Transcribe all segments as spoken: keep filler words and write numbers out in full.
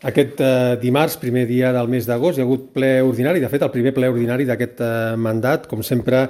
Aquest eh, dimarts, primer dia del mes d'agost, hi ha hagut ple ordinari, de fet el primer ple ordinari d'aquest eh, mandat. Com sempre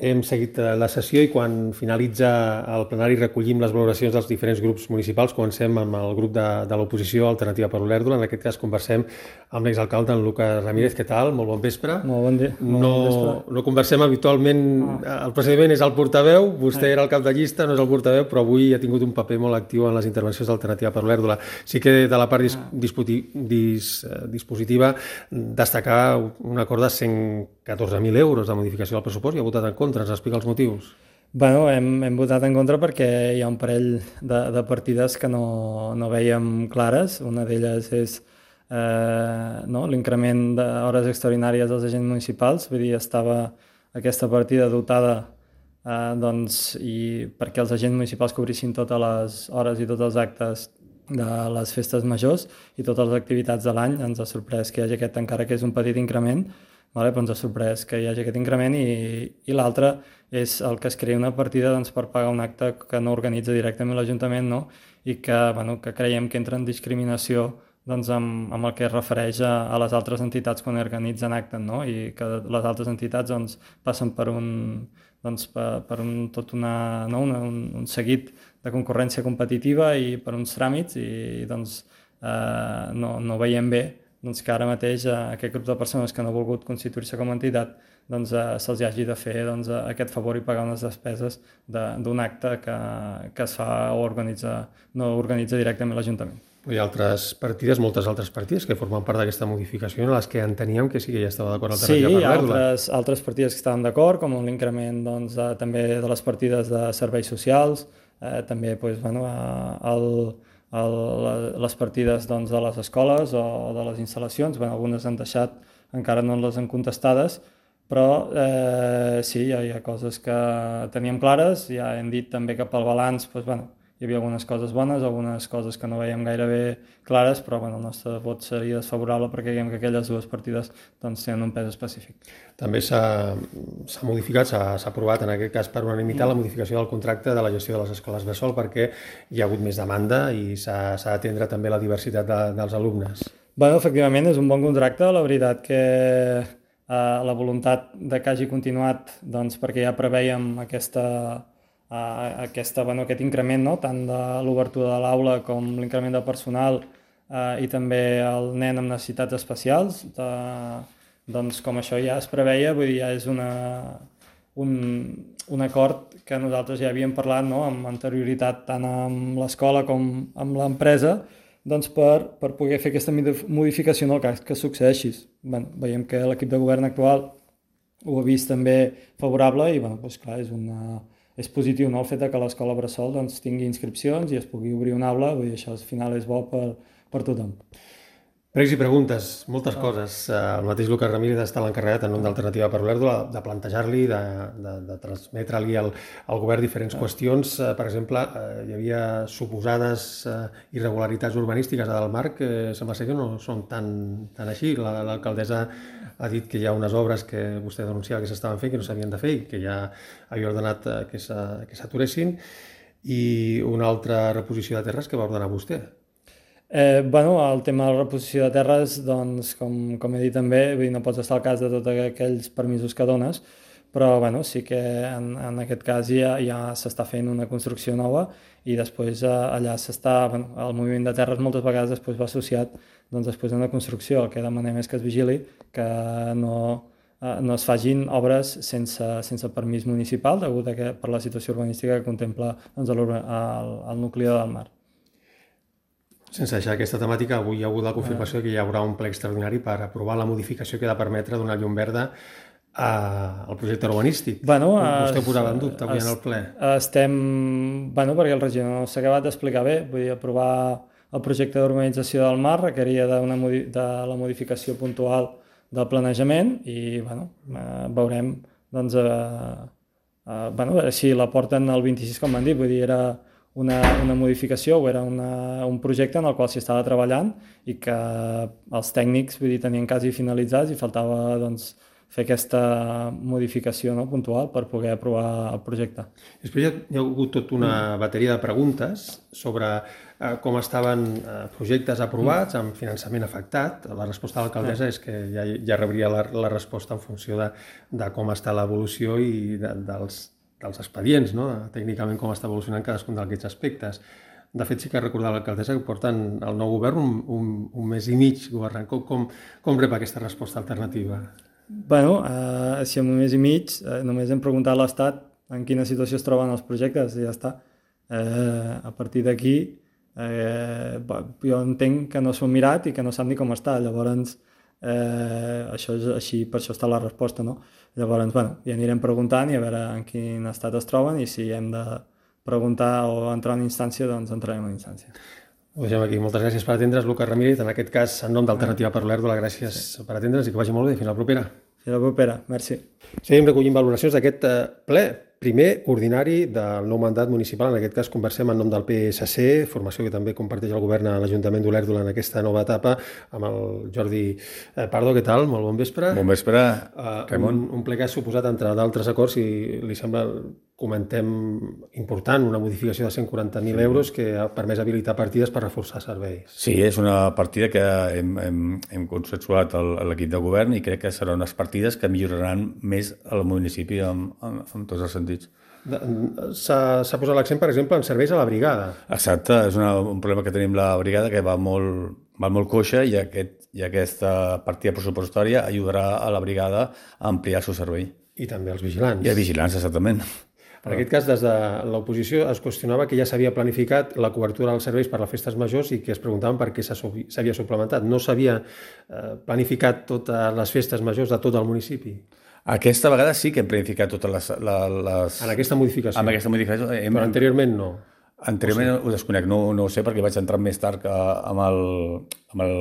hem seguit eh, la sessió i quan finalitza el plenari recollim les valoracions dels diferents grups municipals. Comencem amb el grup de, de l'oposició Alternativa per Olèrdola. En aquest cas conversem amb l'exalcalde, en Lucas Ramírez. Què tal? Molt bon vespre. Molt bon dia. No, bon vespre. no conversem habitualment, ah. el procediment és el portaveu, vostè ah. era el cap de llista, no és el portaveu, però avui ha tingut un paper molt actiu en les intervencions d'Alternativa per Olèrdola. Sí que de la part dis, disputi, dis, dispositiva destacar un acord de cent catorze mil euros de modificació del pressupost. I ha votat en contra, ens explica els motius. Bueno, hem, hem votat en contra perquè hi ha un parell de, de partides que no, no vèiem clares. Una d'elles és eh, no, l'increment d'hores extraordinàries dels agents municipals. Vull dir, estava aquesta partida dotada eh, doncs, i perquè els agents municipals cobrissin totes les hores i tots els actes de les festes majors i totes les activitats de l'any. Ens ha sorprès que hi hagi aquest, encara que és un petit increment, vale? Però ens ha sorprès que hi hagi aquest increment i, i l'altre és el que es crea una partida doncs, per pagar un acte que no organitza directament l'Ajuntament, no? I que, bueno, que creiem que entra en discriminació doncs, amb, amb el que es refereix a, a les altres entitats quan organitzen actes, no? I que les altres entitats doncs, passen per un, doncs, per, per un, tot una, no? una, un, un seguit de concurrència competitiva i per uns tràmits i doncs, eh, no, no veiem bé doncs, que ara mateix eh, aquest grup de persones que no ha volgut constituir-se com a entitat doncs, eh, se'ls hagi de fer doncs, aquest favor i pagar unes despeses d'un acte que, que es fa o organitza, no organitza directament l'Ajuntament. Hi ha altres partides, moltes altres partides que formen part d'aquesta modificació en les que enteníem que sí que ja estava d'acord Alternativa per Olèrdola. Sí, hi ha altres, altres partides que estaven d'acord, com l'increment doncs, de, també de les partides de serveis socials, eh, també doncs, bueno, el, el, les partides doncs, de les escoles o de les instal·lacions. Bueno, algunes han deixat, encara no les han contestades, però eh, sí, hi ha, hi ha coses que teníem clares. Ja hem dit també que pel balanç doncs, bueno, hi havia algunes coses bones, algunes coses que no veiem gaire bé clares, però bueno, el nostre vot seria desfavorable perquè creiem que aquelles dues partides doncs, tenen un pes específic. També s'ha modificat, s'ha aprovat en aquest cas per unanimitat la modificació del contracte de la gestió de les escoles bressol perquè hi ha hagut més demanda i s'ha d'atendre també la diversitat de, dels alumnes. Bueno, efectivament, és un bon contracte. La veritat que eh, la voluntat de que hagi continuat doncs, perquè ja preveiem aquesta... Uh, aquesta, bueno, aquest increment, no? Tant de l'obertura de l'aula com l'increment de personal uh, i també el nen amb necessitats especials, de, doncs com això ja es preveia, vull dir, ja és una, un, un acord que nosaltres ja havíem parlat, no? Amb anterioritat tant amb l'escola com amb l'empresa, doncs per, per poder fer aquesta modificació en el cas que succeeixi. Bueno, veiem que l'equip de govern actual ho ha vist també favorable i bueno, doncs, clar, és una... és positiu, no? El fet que l'escola bressol doncs, tingui inscripcions i es pugui obrir una aula, vull dir, això al final és bo per, per tothom. Pregs i preguntes, moltes coses. El mateix Lucas Ramírez està l'encarregat en nom d'Alternativa per Olèrdola de plantejar-li, de, de, de transmetre-li al, al govern diferents qüestions. Per exemple, hi havia suposades irregularitats urbanístiques a Dalmar que sembla ser que no són tan, tan així. L'alcaldessa ha dit que hi ha unes obres que vostè denunciava que s'estaven fent, que no s'havien de fer i que ja havia ordenat que s'aturessin, i una altra reposició de terres que va ordenar vostè. Eh, bueno, el tema de la reposició de terres, doncs, com, com he dit també, vull dir, no pots estar al cas de tots aquells permisos que dones, però bueno, sí que en, en aquest cas ja, ja s'està fent una construcció nova i després eh, allà s'està, bueno, el moviment de terres moltes vegades després va associat doncs, després d'una construcció. El que demanem és que es vigili, que no, eh, no es fagin obres sense, sense permís municipal, degut a que, per la situació urbanística que contempla doncs, el, el, el nucli de Dalmar. Sense deixar aquesta temàtica, avui hi ha hagut la confirmació que hi haurà un ple extraordinari per aprovar la modificació que ha de permetre donar llum verda al projecte urbanístic. Bueno, vostè ho posava en dubte avui en el ple. Estem... Bueno, perquè el regidor no s'ha acabat d'explicar bé. Vull dir, aprovar el projecte d'urbanització del mar requeria de, una, de la modificació puntual del planejament i bueno, eh, veurem doncs, eh, eh, bueno, si la porten el vint-i-sis, com van dir. Vull dir, era una, una modificació o era una, un projecte en el qual s'hi estava treballant i que els tècnics vull dir, tenien quasi finalitzats i faltava doncs, fer aquesta modificació no, puntual per poder aprovar el projecte. Després hi ha, hi ha hagut tota una bateria de preguntes sobre eh, com estaven eh, projectes aprovats amb finançament afectat. La resposta de l'alcaldessa és que ja, ja rebria la, la resposta en funció de, de com està l'evolució i de, dels, dels expedients, no? Tècnicament com està evolucionant cadascun d'aquests aspectes. De fet, sí que recordar l'alcaldessa que porten el nou govern un, un, un mes i mig governant. Com, com, com rep aquesta resposta alternativa? Bueno, eh, si en un mes i mig eh, només hem preguntat a l'Estat en quina situació es troben els projectes i ja està. Eh, a partir d'aquí, eh, jo entenc que no s'ho han mirat i que no sap ni com està. Llavors, eh, això és així, per això està la resposta, no? Llavors, bueno, ja anirem preguntant i a veure en quin estat es troben i si hem de preguntar o entrar en instància, doncs entrarem en instància. Ho deixem aquí. Moltes gràcies per atendre's, Lucas Ramírez. En aquest cas, en nom d'Alternativa per l'Erdula, gràcies sí. per atendre's i que vagi molt bé. Fins la propera. Fins la propera. Merci. Seguim recollint valoracions d'aquest ple, primer ordinari del nou mandat municipal. En aquest cas conversem en nom del P S C, formació que també comparteix el govern a l'Ajuntament d'Olèrdola en aquesta nova etapa, amb el Jordi Pardo. Què tal? Molt bon vespre. Bon vespre, Ramon. Un, un ple que ha suposat, entre d'altres acords, si li sembla, comentem, important, una modificació de cent quaranta mil sí. euros que ha permès habilitar partides per reforçar serveis. Sí, és una partida que hem, hem, hem consensuat a l'equip de govern i crec que seran unes partides que milloraran més el municipi en, en, en tots els sentits. S'ha posat l'accent, per exemple, en serveis a la brigada. Exacte, és una, un problema que tenim la brigada que va molt, va molt coixa i, aquest, i aquesta partida pressupostària ajudarà a la brigada a ampliar el seu servei. I també els vigilants. I els vigilants, exactament. En aquest cas, des de l'oposició es qüestionava que ja s'havia planificat la cobertura dels serveis per les festes majors i que es preguntaven per què s'havia suplementat. No s'havia planificat totes les festes majors de tot el municipi? Aquesta vegada sí que hem planificat totes les... les... En aquesta modificació? En aquesta modificació. Hem... Però anteriorment no? Anteriorment o sigui... ho desconec, no, no ho sé perquè vaig entrar més tard que amb el, amb el,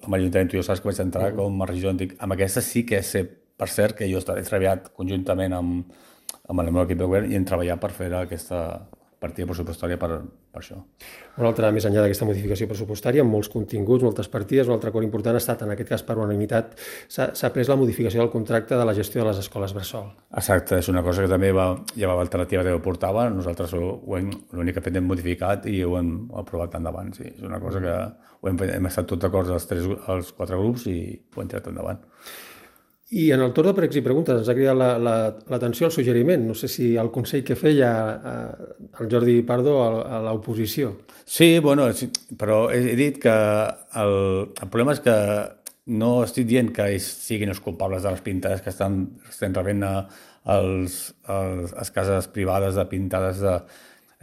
amb l'Ajuntament, tu ja saps que vaig entrar uh-huh. com a regidor antic. Amb aquesta sí que sé, per cert, que jo he treballat conjuntament amb amb el meu equip de govern i hem treballat per fer aquesta partida pressupostària per, per això. Una altra, més enllà d'aquesta modificació pressupostària, amb molts continguts, moltes partides, un altre acord important ha estat, en aquest cas per unanimitat, s'ha pres la modificació del contracte de la gestió de les escoles bressol. Exacte, és una cosa que també va, ja va l'alternativa que ho portava, nosaltres l'únic que hem modificat i ho hem aprovat endavant. Sí. És una cosa que ho hem, hem estat tots d'acord els, tres, els quatre grups i ho hem tirat endavant. I en el torn de pregs i preguntes ens ha cridat l'atenció la, la, el suggeriment. No sé si el consell que feia eh, el Jordi Pardo a, a l'oposició. Sí, bueno, sí, però he, he dit que el, el problema és que no estic dient que ells siguin els culpables de les pintades que estan, estan rebent a, als, als, a les cases privades de pintades. De...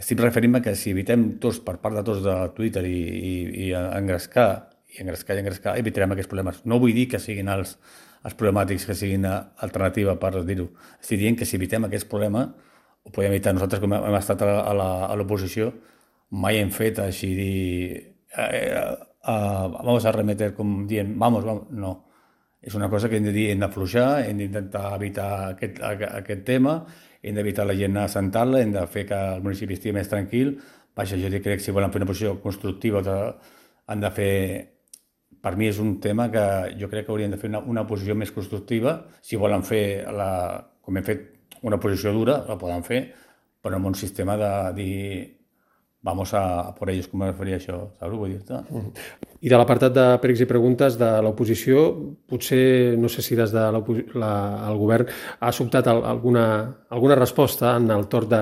Estic referint-me que si evitem tots, per part de tots de Twitter i, i, i engrescar, i engrescar i engrescar, evitarem aquests problemes. No vull dir que siguin els els problemàtics que siguin alternativa per dir-ho. Estic dient que si evitem aquest problema, ho podem evitar. Nosaltres, com hem estat a l'oposició, mai hem fet així dir... Eh, eh, vamos a remeter, com dient, vamos, vamos. No. És una cosa que hem de dir, hem d'afluixar, hem d'intentar evitar aquest, aquest tema, hem d'evitar la gent assentar-la, hem de fer que el municipi estigui més tranquil. Vaja, jo crec que si volen fer una posició constructiva han de fer... Per mi és un tema que jo crec que hauríem de fer una, una posició més constructiva. Si volen fer, la, com hem fet, una posició dura, la poden fer, però amb un sistema de dir vamos a, a por ellos, com es faria això, saps? Vull dir-te. I de l'apartat de pregs i preguntes de l'oposició, potser, no sé si des del de govern ha sobtat alguna, alguna resposta en el torn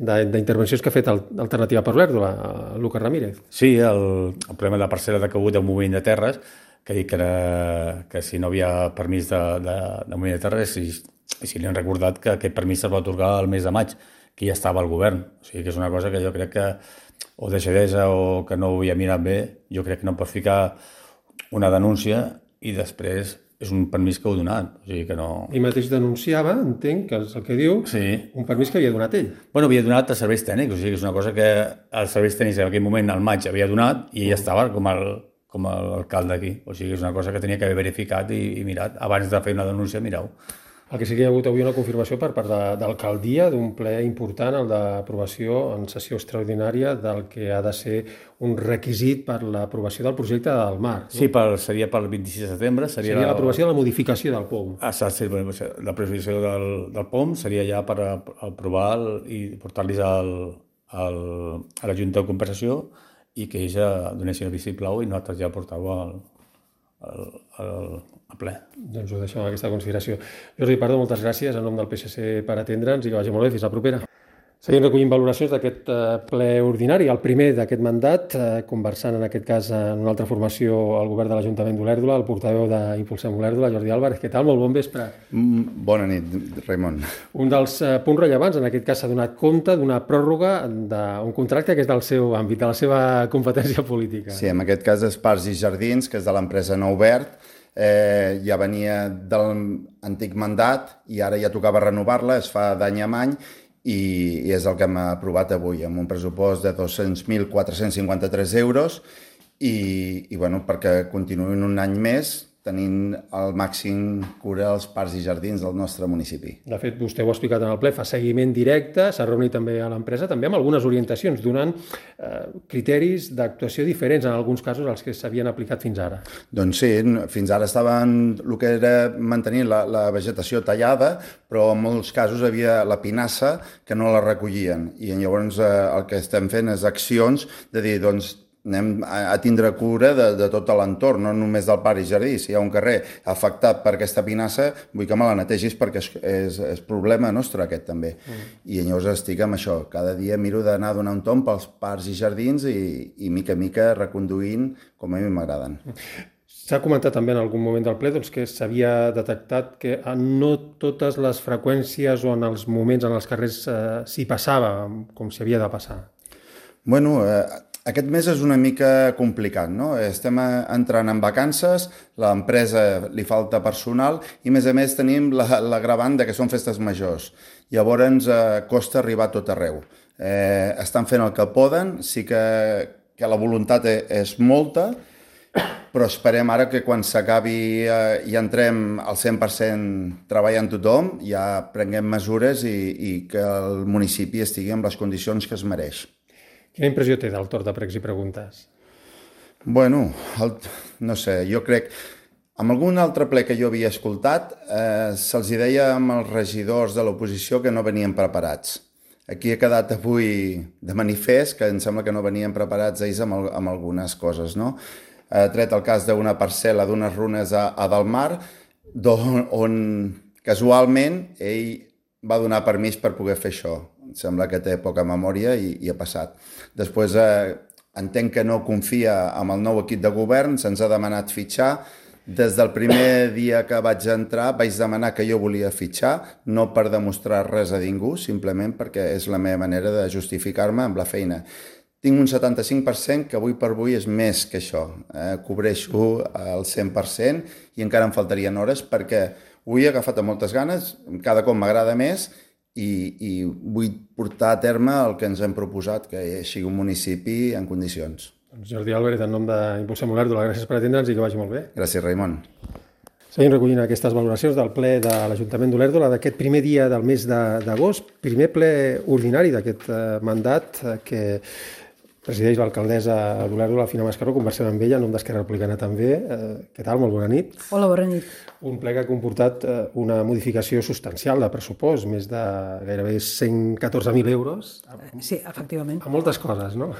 d'intervencions que ha fet Alternativa per l'Erdula, Lucas Ramírez. Sí, el, el problema de la parcel·la de cabut del moviment de terres, que ha dit que, era, que si no havia permís de, de, de moviment de terres, i, i si li han recordat que aquest permís es va atorgar el mes de maig, que ja estava al govern. O sigui que és una cosa que jo crec que o deixadesa o que no ho havia mirat bé, jo crec que no pots ficar una denúncia i després és un permís que heu donat. O sigui que no... Ell mateix denunciava, entenc, que és el que diu, sí. Un permís que havia donat ell. Bueno, havia donat a serveis tècnics, o sigui que és una cosa que els serveis tècnics en aquell moment, al maig, havia donat i ell estava com el com l'alcalde aquí. O sigui que és una cosa que tenia que haver verificat i, i mirat. Abans de fer una denúncia, mireu. El que sí que hi ha hagut avui una confirmació per part de, de l'alcaldia d'un ple important, el d'aprovació en sessió extraordinària del que ha de ser un requisit per l'aprovació del projecte del mar. No? Sí, per, seria pel vint-i-sis de setembre. Seria, seria l'aprovació de la modificació del P O M. Ah, sí, l'aprovació del, del P O M seria ja per aprovar el, i portar-los al, al, a la Junta de Compensació i que ells ja donessin el vistiplau i nosaltres ja portàveu al, al, al, al ple. Doncs ho deixem amb aquesta consideració. Jordi Pardo, moltes gràcies en nom del P S C per atendre'ns i que vagi molt bé. Fins la propera. Seguim recollint valoracions d'aquest ple ordinari, el primer d'aquest mandat, conversant en aquest cas en una altra formació al govern de l'Ajuntament d'Olèrdola, el portaveu d'Impulsem Olèrdola, Jordi Álvarez. Què tal? Molt bon vespre. Bona nit, Raimon. Un dels punts rellevants, en aquest cas s'ha donat compte d'una pròrroga d'un contracte que és del seu àmbit, de la seva competència política. Sí, en aquest cas és Parcs i Jardins, que és de l'empresa Nou Verd, eh, ja venia de l'antic mandat i ara ja tocava renovar-la, es fa d'any en any, i és el que hem aprovat avui, amb un pressupost de dos-cents mil quatre-cents cinquanta-tres euros i, i bueno, perquè continuïn un any més tenint el màxim cura als parcs i jardins del nostre municipi. De fet, vostè ho ha explicat en el ple, fa seguiment directe, s'ha reunit també a l'empresa, també amb algunes orientacions, donant eh, criteris d'actuació diferents en alguns casos als que s'havien aplicat fins ara. Doncs sí, fins ara estaven el que era mantenir la, la vegetació tallada, però en molts casos havia la pinassa que no la recollien. I llavors eh, el que estem fent és accions de dir, doncs, anem a tindre cura de, de tot l'entorn, no només del parc i jardí. Si hi ha un carrer afectat per aquesta pinassa, vull que me la netegis perquè és, és, és problema nostre aquest també. Mm. I llavors estic amb això. Cada dia miro d'anar a donar un tomb pels parcs i jardins i, i mica a mica reconduint com a mi m'agraden. S'ha comentat també en algun moment del ple doncs, que s'havia detectat que no totes les freqüències o en els moments en els carrers eh, s'hi passava com s'hi havia de passar. Bueno, eh, aquest mes és una mica complicat, no? Estem entrant en vacances, l'empresa li falta personal i, a més a més, tenim l'agravant que són festes majors. Llavors ens eh, costa arribar a tot arreu. Eh, estan fent el que poden, sí que, que la voluntat és molta, però esperem ara que quan s'acabi eh, i entrem al cent per cent treballant tothom, ja prenguem mesures i, i que el municipi estigui en les condicions que es mereix. Quina impressió té del torn de pregs i preguntes? Bueno, el, no sé, jo crec... Amb algun altre ple que jo havia escoltat, eh, se'ls deia amb els regidors de l'oposició que no venien preparats. Aquí ha quedat avui de manifest que em sembla que no venien preparats ells amb, amb algunes coses, no? Ha tret el cas d'una parcel·la d'unes runes a, a Delmar, on, on casualment ell va donar permís per poder fer això. Em sembla que té poca memòria i, i ha passat. Després eh, entenc que no confia en el nou equip de govern, se'ns ha demanat fitxar. Des del primer dia que vaig entrar vaig demanar que jo volia fitxar, no per demostrar res a ningú, simplement perquè és la meva manera de justificar-me amb la feina. Tinc un setanta-cinc per cent que avui per avui és més que això. Eh, cobreixo el cent per cent i encara em faltarien hores perquè ho he agafat amb moltes ganes, cada cop m'agrada més i, i vull portar a terme el que ens hem proposat, que sigui un municipi en condicions. Doncs Jordi Álvarez, en nom d'Impulsem Olèrdola, gràcies per atendre'ns i que vagi molt bé. Gràcies, Raimon. Seguim recollint aquestes valoracions del ple de l'Ajuntament d'Olèrdola d'aquest primer dia del mes d'agost, primer ple ordinari d'aquest mandat que presideix l'alcaldessa d'Olèrdola, Fina Mascaró. Conversem amb ella, en nom d'Esquerra Republicana també. Eh, què tal? Molt bona nit. Hola, bona nit. Un ple que ha comportat eh, una modificació substancial de pressupost, més de gairebé cent catorze mil euros. Sí, efectivament. A moltes coses, no?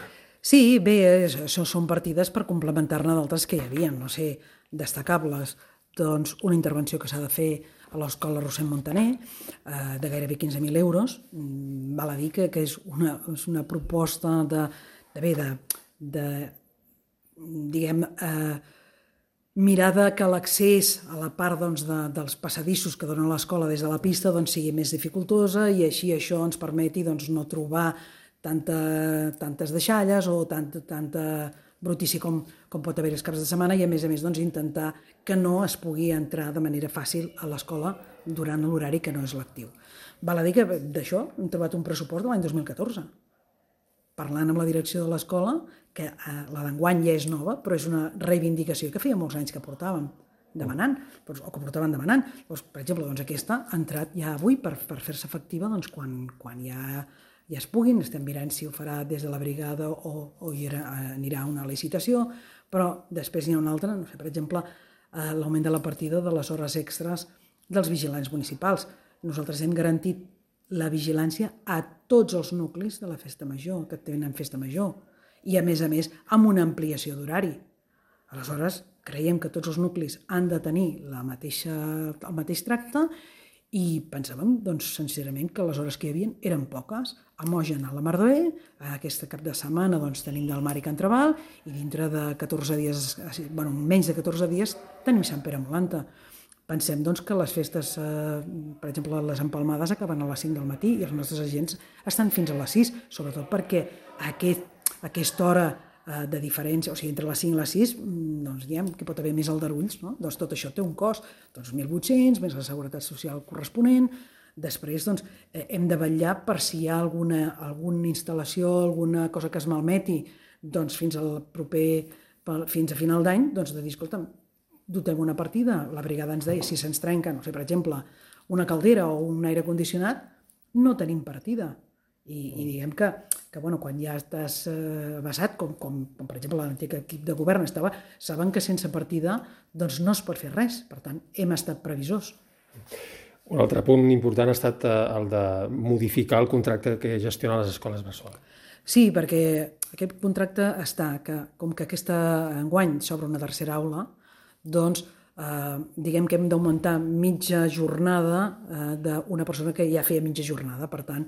Sí, bé, això són partides per complementar-ne d'altres que hi havia, no sé, destacables. Doncs una intervenció que s'ha de fer a l'Escola Rossend Montaner, eh, de gairebé quinze mil euros. Val a dir que, que és, una, és una proposta de, de bé, de, de diguem, eh, mirada que l'accés a la part doncs, de, dels passadissos que donen l'escola des de la pista doncs, sigui més dificultosa i així això ens permeti doncs, no trobar tanta, tantes deixalles o tanta, tanta brutícia com, com pot haver els caps de setmana i a més a més doncs, intentar que no es pugui entrar de manera fàcil a l'escola durant l'horari que no és lectiu. Val a dir que d'això hem trobat un pressupost de l'any dos mil catorze. Parlant amb la direcció de l'escola, que eh, la d'enguany ja és nova, però és una reivindicació que feia molts anys que portàvem demanant, doncs, o que portaven demanant. Doncs, per exemple, doncs, aquesta ha entrat ja avui per, per fer-se efectiva doncs, quan, quan ja, ja es puguin. Estem mirant si ho farà des de la brigada o, o hi era, anirà a una licitació, però després n'hi ha una altra, no sé, per exemple, eh, l'augment de la partida de les hores extres dels vigilants municipals. Nosaltres hem garantit la vigilància a tots els nuclis de la festa major, que tenen festa major, i, a més a més, amb una ampliació d'horari. Aleshores, creiem que tots els nuclis han de tenir la mateixa, el mateix tracte i pensàvem, doncs, sincerament, que les hores que hi havia eren poques. A Mogen, a la Mar de Bé, aquesta cap de setmana doncs, tenim del Mar i Can Traval i dintre de catorze dies, bueno, menys de catorze dies, tenim Sant Pere Molanta. Pensem doncs, que les festes, eh, per exemple, les empalmades acaben a les cinc del matí i els nostres agents estan fins a les sis, sobretot perquè aquest, aquesta hora eh, de diferència, o sigui, entre les cinc i les sis, doncs diem que pot haver més aldarulls, no? Doncs tot això té un cost, doncs mil vuit-cents, més la seguretat social corresponent. Després doncs, eh, hem de vetllar per si hi ha alguna, alguna instal·lació, alguna cosa que es malmeti, doncs fins al proper, fins a final d'any, doncs de dir, escolta'm, dotem una partida, la brigada ens deia, si se'ns trenca, no sé, per exemple, una caldera o un aire condicionat, no tenim partida. I, i diguem que, que bueno, quan ja estàs eh, basat, com, com, com per exemple l'antic equip de govern estava, saben que sense partida doncs no es pot fer res. Per tant, hem estat previsors. Un altre punt important ha estat el de modificar el contracte que gestiona les escoles bressol. Sí, perquè aquest contracte està que, com que aquesta enguany s'obre una tercera aula, doncs eh, diguem que hem d'augmentar mitja jornada eh, d'una persona que ja feia mitja jornada. Per tant,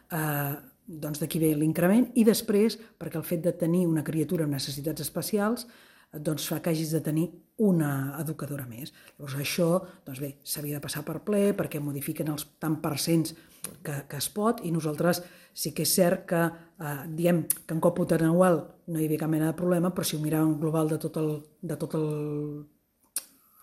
eh, doncs d'aquí ve l'increment i després, perquè el fet de tenir una criatura amb necessitats especials doncs fa que hagis de tenir una educadora més. Llavors això, doncs bé, s'havia de passar per ple perquè modifiquen els tant percents que, que es pot i nosaltres sí que és cert que eh, diem que en còmput anual no hi havia cap mena de problema, però si ho miràvem global de tot el, de tot el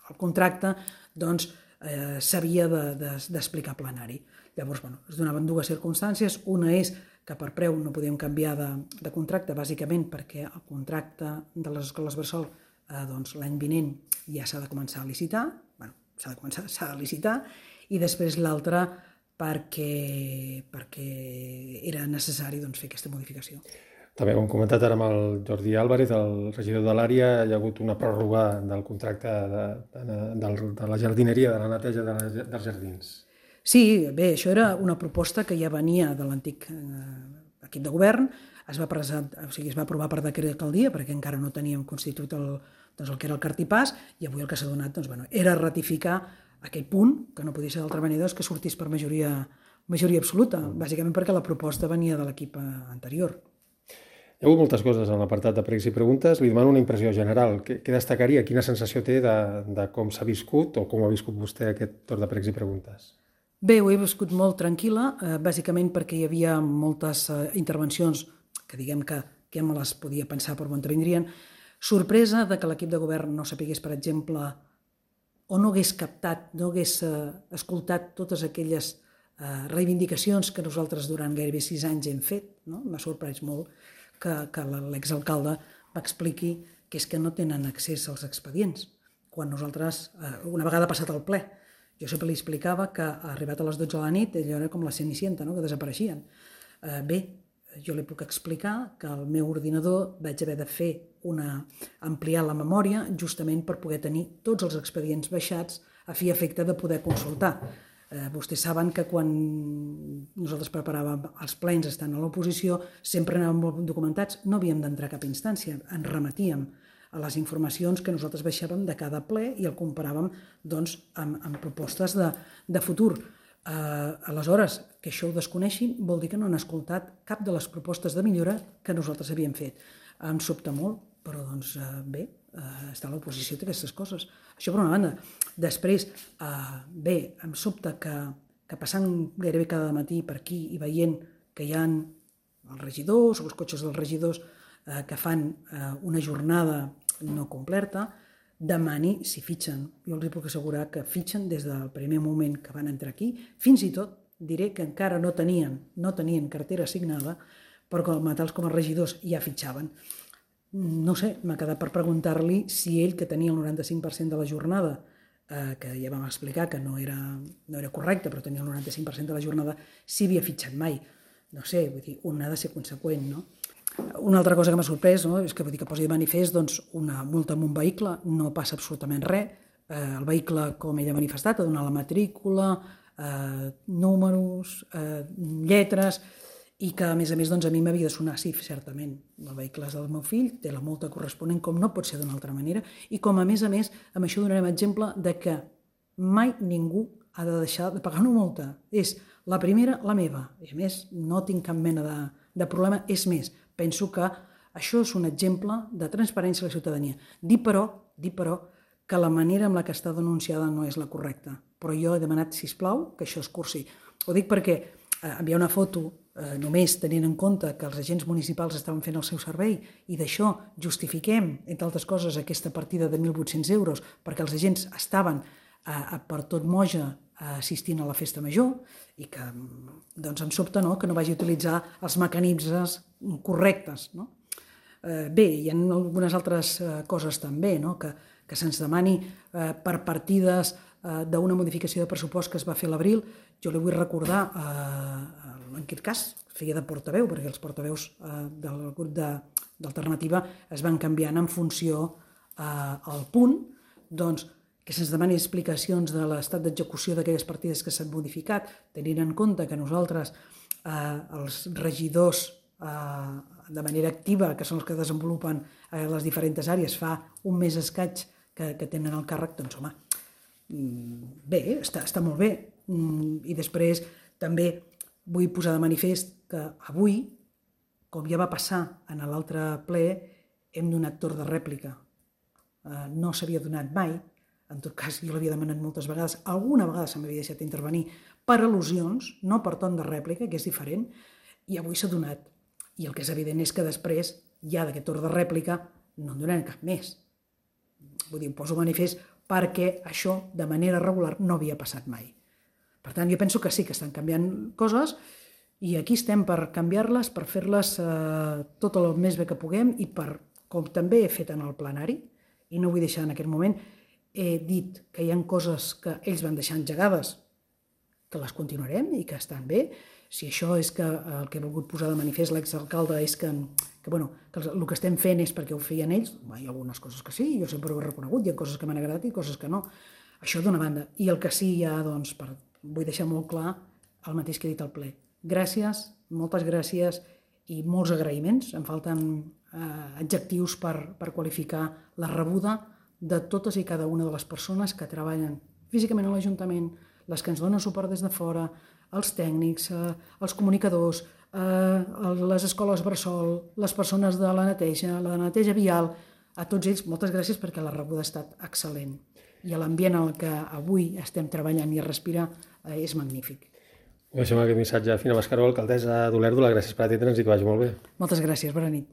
el contracte, doncs eh, s'havia d'explicar de, de, plenari. Llavors, bueno, es donaven dues circumstàncies. Una és que per preu no podíem canviar de, de contracte, bàsicament perquè el contracte de les escoles bressol eh, doncs, l'any vinent ja s'ha de començar a licitar, bueno, s'ha de començar, s'ha de licitar, i després l'altra perquè, perquè era necessari doncs, fer aquesta modificació. També ho hem comentat ara amb el Jordi Álvarez, el regidor de l'àrea, hi ha hagut una pròrroga del contracte de, de, de, de la jardineria, de la neteja de la, dels jardins. Sí, bé, això era una proposta que ja venia de l'antic eh, equip de govern, es va, presentar, o sigui, es va aprovar per decret d'alcaldia perquè encara no teníem constituït el, doncs el que era el cartipàs i avui el que s'ha donat doncs, bueno, era ratificar aquell punt, que no podia ser d'altra manera que sortís per majoria, majoria absoluta, bàsicament perquè la proposta venia de l'equip anterior. Hi ha hagut moltes coses en l'apartat de pregs i preguntes. Li demano una impressió general. Què, què destacaria? Quina sensació té de, de com s'ha viscut o com ha viscut vostè aquest torn de pregs i preguntes? Bé, ho he viscut molt tranquil·la, eh, bàsicament perquè hi havia moltes eh, intervencions que diguem que, que me les podia pensar per on vindrien. Sorpresa de que l'equip de govern no sapigués, per exemple, o no hagués captat, no hagués eh, escoltat totes aquelles eh, reivindicacions que nosaltres durant gairebé sis anys hem fet. No? M'ha sorprès molt que, que l'exalcalde m'expliqui que és que no tenen accés als expedients. Quan nosaltres, eh, una vegada passat el ple, jo sempre li explicava que arribat a les dotze de la nit allò era com la Cenicienta, no? Que desapareixien. Eh, bé, jo li puc explicar que el meu ordinador vaig haver de fer una, ampliar la memòria justament per poder tenir tots els expedients baixats a fi i efecte de poder consultar. Eh, vostès saben que quan nosaltres preparàvem els plens estant a l'oposició sempre anàvem molt documentats, no havíem d'entrar a cap instància, ens remetíem a les informacions que nosaltres baixàvem de cada ple i el comparàvem doncs, amb, amb propostes de, de futur. Eh, aleshores, que això ho desconeixin vol dir que no han escoltat cap de les propostes de millora que nosaltres havíem fet. Em sobta molt, però doncs, eh, bé, eh, està a l'oposició d'aquestes coses. Això per una banda. Després, eh, bé, em sobta que, que passant gairebé cada matí per aquí i veient que hi ha els regidors o els cotxes dels regidors eh, que fan eh, una jornada no completa, demani si fitxen. Jo els puc assegurar que fitxen des del primer moment que van entrar aquí, fins i tot diré que encara no tenien, no tenien cartera assignada, però com a tals com els regidors ja fitxaven. No sé, m'ha quedat per preguntar-li si ell, que tenia el noranta-cinc per cent de la jornada, eh, que ja vam explicar que no era, no era correcte, però tenia el noranta-cinc per cent de la jornada, si havia fitxat mai. No sé, vull dir, un ha de ser conseqüent, no? Una altra cosa que m'ha sorprès, no? És que, vull dir, que posi de manifest doncs, una multa amb un vehicle, no passa absolutament res. Eh, el vehicle, com ell ha manifestat, ha donat la matrícula, eh, números, eh, lletres, i que, a més a més, doncs, a mi m'havia de sonar, sí, certament, el vehicle és del meu fill, té la multa corresponent, com no pot ser d'una altra manera, i com, a més a més, amb això donarem exemple de que mai ningú ha de deixar de pagar una multa. És la primera, la meva, i a més no tinc cap mena de, de problema. És més, penso que això és un exemple de transparència a la ciutadania. Dir però, dir però, que la manera amb la que està denunciada no és la correcta. Però jo he demanat, sisplau, que això es cursi. Ho dic perquè eh, enviar una foto eh, només tenint en compte que els agents municipals estaven fent el seu servei i d'això justifiquem, entre altres coses, aquesta partida de mil vuit-cents euros perquè els agents estaven eh, per tot Moja assistint a la festa major i que doncs, em sobta no, que no vagi a utilitzar els mecanismes correctes. No? Eh, bé, hi ha algunes altres eh, coses també, no? que, que se'ns demani eh, per partides eh, d'una modificació de pressupost que es va fer a l'abril. Jo li vull recordar, eh, en aquest cas, feia de portaveu, perquè els portaveus eh, del grup d'Alternativa es van canviant en funció eh, al punt, doncs, que se'ns demani explicacions de l'estat d'execució d'aquelles partides que s'han modificat, tenint en compte que nosaltres, eh, els regidors eh, de manera activa, que són els que desenvolupen eh, les diferents àrees, fa un mes escaig que, que tenen el càrrec, doncs home, bé, està, està molt bé. I després també vull posar de manifest que avui, com ja va passar en l'altre ple, hem donat torn de rèplica. Eh, no s'havia donat mai. En tot cas, jo l'havia demanat moltes vegades. Alguna vegada se m'havia deixat intervenir per al·lusions, no per torn de rèplica, que és diferent, i avui s'ha donat. I el que és evident és que després, ja d'aquest torn de rèplica, no en donaran cap més. Vull dir, ho poso manifest perquè això, de manera regular, no havia passat mai. Per tant, jo penso que sí que estan canviant coses i aquí estem per canviar-les, per fer-les eh, tot el més bé que puguem i per, com també he fet en el plenari, i no vull deixar en aquest moment, he dit que hi ha coses que ells van deixar engegades, que les continuarem i que estan bé. Si això és que el que he volgut posar de manifest l'exalcalde és que, que, bueno, que el que estem fent és perquè ho feien ells, hi ha algunes coses que sí, jo sempre ho he reconegut, hi ha coses que m'han agradat i coses que no. Això d'una banda. I el que sí ja, doncs, per, vull deixar molt clar el mateix que he dit al ple. Gràcies, moltes gràcies i molts agraïments. Em falten eh, adjectius per, per qualificar la rebuda de totes i cada una de les persones que treballen físicament a l'Ajuntament, les que ens donen suport des de fora, els tècnics, eh, els comunicadors, eh, les escoles bressol, les persones de la neteja, la de neteja vial, a tots ells moltes gràcies perquè la rebuda ha estat excel·lent. I l'ambient en el que avui estem treballant i a respirar eh, és magnífic. Deixem aquest missatge a Fina Mascaró, alcaldessa d'Olèrdola. Gràcies per atendre'ns i que vagi molt bé. Moltes gràcies, bona nit.